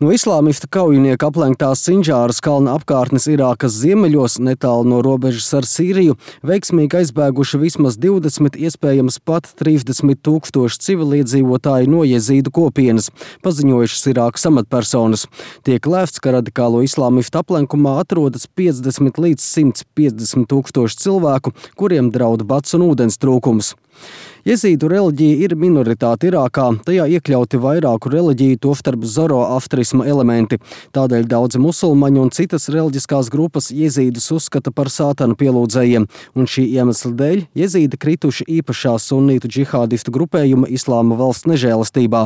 No islāmista kaujinieka aplenktās Sindžāras kalna apkārtnes Irākas ziemeļos, netālu no robežas ar Sīriju, veiksmīgi aizbēguši vismaz 20, iespējams pat 30 tūkstoši civiliedzīvotāji no jezīdu kopienas, paziņojušas Irākas amatpersonas. Tiek lēsts, ka radikālo islāmista aplenkumā atrodas 50 līdz 150 tūkstoši cilvēku, kuriem draud bats un ūdens trūkums. Jezīdu reliģija ir minoritāte Irākā, tajā iekļauti vairāku reliģiju, tostarp zoroastrisma elementi. Tādēļ daudzi musulmaņi un citas reliģiskās grupas jezīdus uzskata par sātana pielūdzējiem, un šī iemesla dēļ jezīdi krituši īpašā sunītu džihādistu grupējuma Islāma valsts nežēlastībā.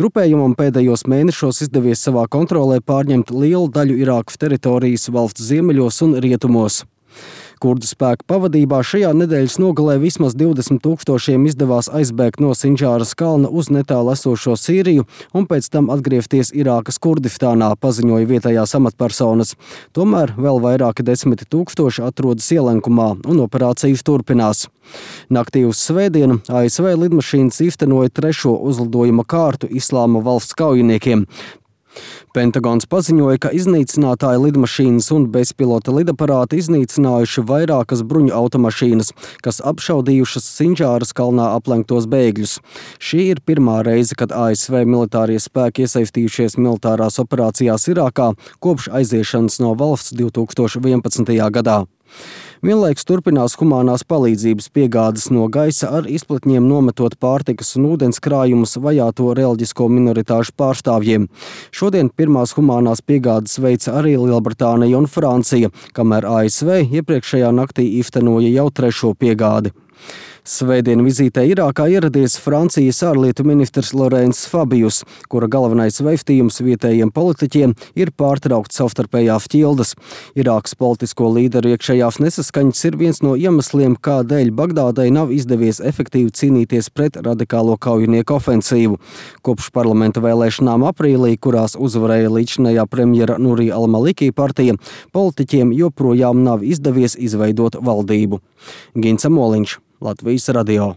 Grupējumam pēdējos mēnešos izdevies savā kontrolē pārņemt lielu daļu Irākas teritorijas valsts ziemeļos un rietumos. Kurdu spēku pavadībā šajā nedēļas nogalē vismaz 20 tūkstošiem izdevās aizbēgt no Sindžāras kalna uz netālu esošo Sīriju un pēc tam atgriezties Irākas Kurdistānā, paziņoja vietējās amatpersonas. Tomēr vēl vairāki 10 tūkstoši atrodas ielenkumā un operācijas turpinās. Naktī uz svētdienu ASV lidmašīnas īstenoja 3. uzlidojuma kārtu Islāma valsts kaujiniekiem. Pentagons paziņoja, ka iznīcinātāja lidmašīnas un bezpilota lidaparāti iznīcinājuši vairākas bruņu automašīnas, kas apšaudījušas Sindžāras kalnā aplenktos bēgļus. Šī ir pirmā reize, kad ASV militārie spēki iesaistījušies militārās operācijās Irākā kopš aiziešanas no valsts 2011. gadā. Vienlaikus turpinās humanās palīdzības piegādes no gaisa ar izplatņiem nometot pārtikas un ūdens krājumus vajāto reliģisko minoritāšu pārstāvjiem. Šodien pirmās humanās piegādes veica arī Lielbritānija un Francija, kamēr ASV iepriekšējā naktī īstenoja jau 3. piegādi. Svētdien vizītē Irākā ieradies Francijas ārlietu ministrs Laurents Fabius, kura galvenais vēstījums vietējiem politiķiem ir pārtraukt savstarpējās ķildes. Irākas politisko līderu iekšējās nesaskaņas ir viens no iemesliem, kādēļ Bagdādai nav izdevies efektīvi cīnīties pret radikālo kaujinieku ofensīvu. Kopš parlamenta vēlēšanām aprīlī, kurās uzvarēja līdzinējā premjera Nuri al-Maliki partija, politiķiem joprojām nav izdevies izveidot valdību. Gins Amoliņš, Latvijas radio.